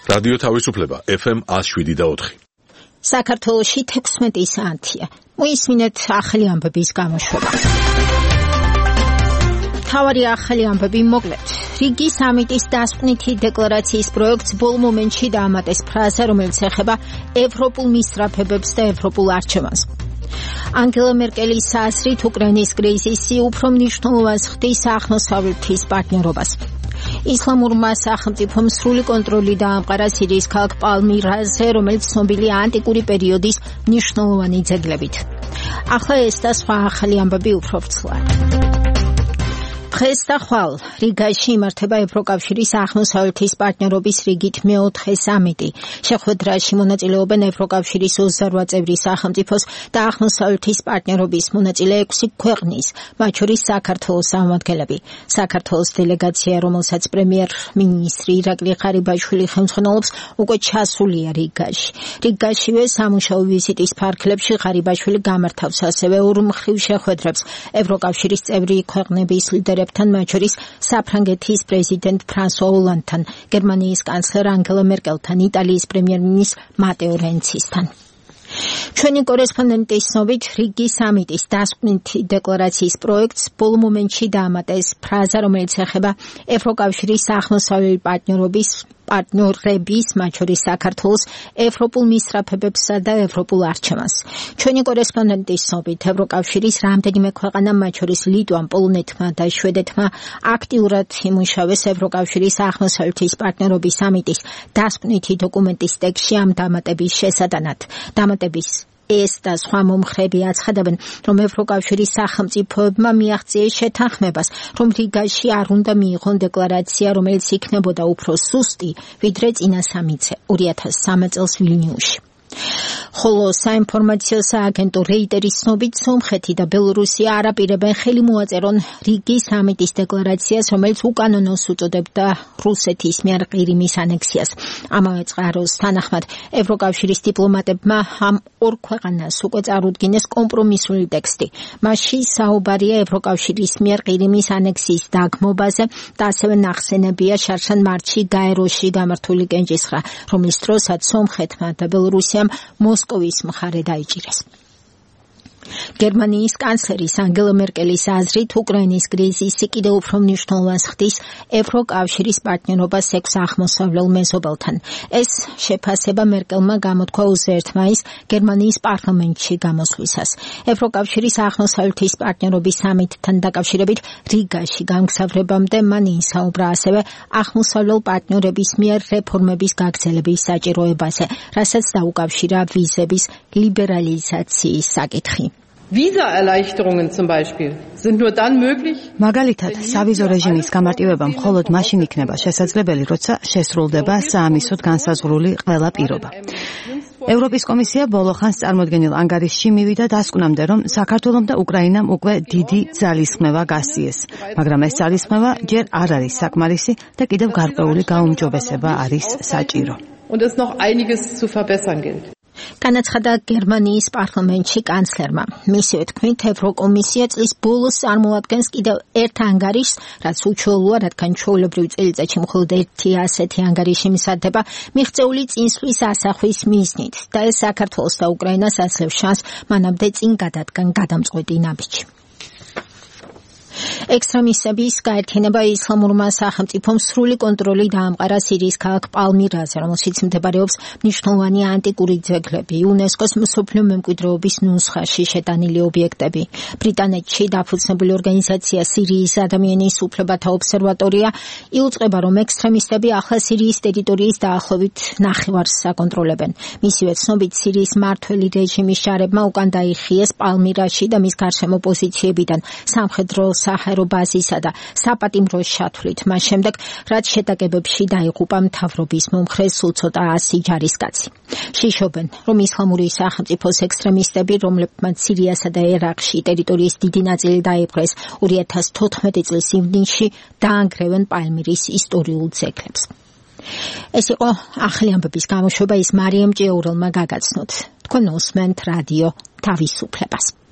რადიო თავისუფლება FM 107.4. საქართველოში 16 საათია. მოისმინეთ ახალი ამბების გამოშვება. თავარი ახალი ამბები მოკლედ. რიგი სამიტის დასკვნითი დეკლარაციის პროექტს ბოლო მომენტში დაამატეს ფრაზა, რომელიც ეხება ევროპულ მისწრაფებებს და ევროპულ არჩევანს. ანგელა მერკელის აზრით უკრაინის კრიზისი უფრო მნიშვნელოვანს ხდის აღმოსავლეთის პარტნიორობას. ისლამურმა სახელმწიფომ სრული კონტროლი დაამყარა სირიის ქალაქ პალმირაზე, რომელიც ცნობილია ანტიკური პერიოდის მნიშვნელოვანი ძეგლებით. ახლა ეს და სხვა ახალი ამბები უფრო ვრცლად. დღეს და ხვალ რიგაში იმართება ევროკავშირის აღმოსავლეთის პარტნიორობის რიგით მეოთხე სამიტი. შეხვედრაში მონაწილეობენ ევროკავშირის 28 წევრი სახელმწიფოს და აღმოსავლეთის პარტნიორობის მონაწილე 6 ქვეყნის, მათ შორის საქართველოს წარმომადგენლები. საქართველოს დელეგაცია, რომელსაც პრემიერ-მინისტრი ირაკლი ღარიბაშვილი ხელმძღვანელობს, უკვე ჩასულია რიგაში. რიგაშივე სამუშაო ვიზიტის ფარგლებში ღარიბაშვილი გამართავს ასევე ორმხრივ შეხვედრებს ევროკავშირის წევრი ქვეყნების ლიდერებთან, მათ შორის საფრანგეთის პრეზიდენტ ფრანსუა ოლანდთან, გერმანიის კანცლერ ანგელა მერკელთან, იტალიის პრემიერ-მინისტრ მატეო რენცისთან. ჩვენი კორესპონდენტის ცნობით რიგი სამიტის დასკვნითი დეკლარაციის პროექტს ბოლო მომენტში დაამატეს ფრაზა, რომელიც ეხება ევროკავშირის აღმოსავლელი პარტნიორობის, მათ შორის საქართველოს ევროპულ მისწრაფებებსა და ევროპულ არჩევანს. ჩვენი კორესპონდენტის ცნობით ევროკავშირის რამდენიმე ქვეყანა, მათ შორის ლიტვამ, პოლონეთმა და შვედეთმა აქტიურად იმუშავეს ევროკავშირის აღმოსავლეთის პარტნიორობის სამიტის დასკვნითი დოკუმენტის ტექსტში ამ დამატების შესატანად. დამატების ეს და სხვა მომხრეები აცხადებენ, რომ ევროკავშირის სახელმწიფოებმა მიაღწიეს შეთანხმებას, რომ რიგაში არ უნდა მიიღონ დეკლარაცია, რომელიც იქნებოდა უფრო სუსტი, ვიდრე წინა სამიტზე 2013 წელს ვილნიუსში. ხოლო საინფორმაციო სააგენტო რეიტერის ცნობით სომხეთი და ბელორუსია არ აპირებენ ხელი მოაწერონ რიგი სამიტის დეკლარაციას, რომელიც უკანონოს უწოდებდა რუსეთის მიერ ყირიმის ანექსიას. ამავე წყაროს თანახმად ევროკავშირის დიპლომატებმა ამ ორ ქვეყანას უკვე წარუდგინეს კომპრომისული ტექსტი. მასში საუბარია ევროკავშირის მიერ ყირიმის ანექსიის დაგმობაზე და ასევე ნახსენებია შარშან მარტში გაეროში გამართული კენჭისხრა, რომლის დროსაც სომხეთმა და ბელორუსიამ მოსკოვის მხარე დაიჭირეს. გერმანიის კანცლერის ანგელა მერკელის აზრით უკრაინის კრიზისი კიდევ უფრო მნიშვნელოვანს ხდის ევროკავშირის პარტნიორობას 6 აღმოსავლელ მეზობელთან. ეს შეფასება მერკელმა გამოთქვა 21 მაისს გერმანიის პარლამენტში გამოსვლისას. ევროკავშირის აღმოსავლეთის პარტნიორობის სამიტთან დაკავშირებით რიგაში გამგზავრებამდე მან ისაუბრა ასევე აღმოსავლელ პარტნიორების მიერ რეფორმების გაგრძელების საჭიროებაზე, რასაც დაუკავშირა ვიზების ლიბერალიზაციის საკითხი. Visa-Erleichterungen zum Beispiel sind nur dann möglich. მაგალითად, სავიზო რეჟიმის გამარტივება მხოლოდ მაშინ იქნება შესაძლებელი, როცა შესრულდება საამისოდ განსაზღვრული ყველა პირობა. ევროპის კომისია ბოლო ხანს წარმოდგენილ ანგარიშში მივიდა დასკვნამდე, რომ საქართველომ და უკრაინამ უკვე დიდი ძალისხმევა გასწიეს, მაგრამ ეს ძალისხმევა ჯერ არ არის საკმარისი და კიდევ გარკვეული გაუმჯობესება არის საჭირო. Und es noch einiges zu verbessern gilt. განაცხადა გერმანიის პარლამენტში კანცლერმა. მისივე თქმით, ევროკომისია წლის ბოლოს წარმოადგენს კიდევ ერთ ანგარიშს, რაც უჩვეულოა, რადგან ჩვეულებრივ წელიწადში მხოლოდ ერთი ასეთი ანგარიში მისადდება მიღწეული წინსვლის ასახვის მიზნით და ეს საქართველოს და უკრაინას აძლევს შანსს მანამდე წინ გადადგან გადამწყვეტი ნაბიჯი. ექსტრემისტების გაერთიანება ისლამურმა სახელმწიფომ სრული კონტროლი დაამყარა სირიის ქალაქ პალმირაზე, რომელშიც მდებარეობს მნიშვნელოვანი ანტიკური ძეგლები, იუნესკოს მსოფლიო მემკვიდრეობის ნუსხაში შეტანილი ობიექტები. ბრიტანეთში დაფუძნებული ორგანიზაცია სირიის ადამიანის უფლებათა ობსერვატორია იუწყება, რომ ექსტრემისტები ახლა სირიის ტერიტორიის დაახლოებით ნახევარს აკონტროლებენ. მისივე ცნობით, სირიის მმართველი რეჟიმის ჯარებმა უკან დაიხიეს პალმირაში და მის გარშემო პოზიციებიდან სამხედრო საჰაერო ბაზისა და საპატიმროს შათვლით. მას შემდეგ, რაც შეტაკებებში დაიღუპა მთავრობის მომხრე სულ ცოტა 100 ჯარისკაცი. შიშობენ, რომ ისლამური სახელმწიფოს ექსტრემისტები, რომლებმაც სირიასა და ერაყში ტერიტორიის დიდი ნაწილი დაიპყრეს 2014 წლის ივნისში, დაანგრევენ პალმირის ისტორიულ ძეგლებს. ეს იყო ახალი ამბების გამოშვება, ის მარიამ ჭიაურელმა გაგაცნოთ. თქვენ უსმენთ რადიო თავისუფლებას.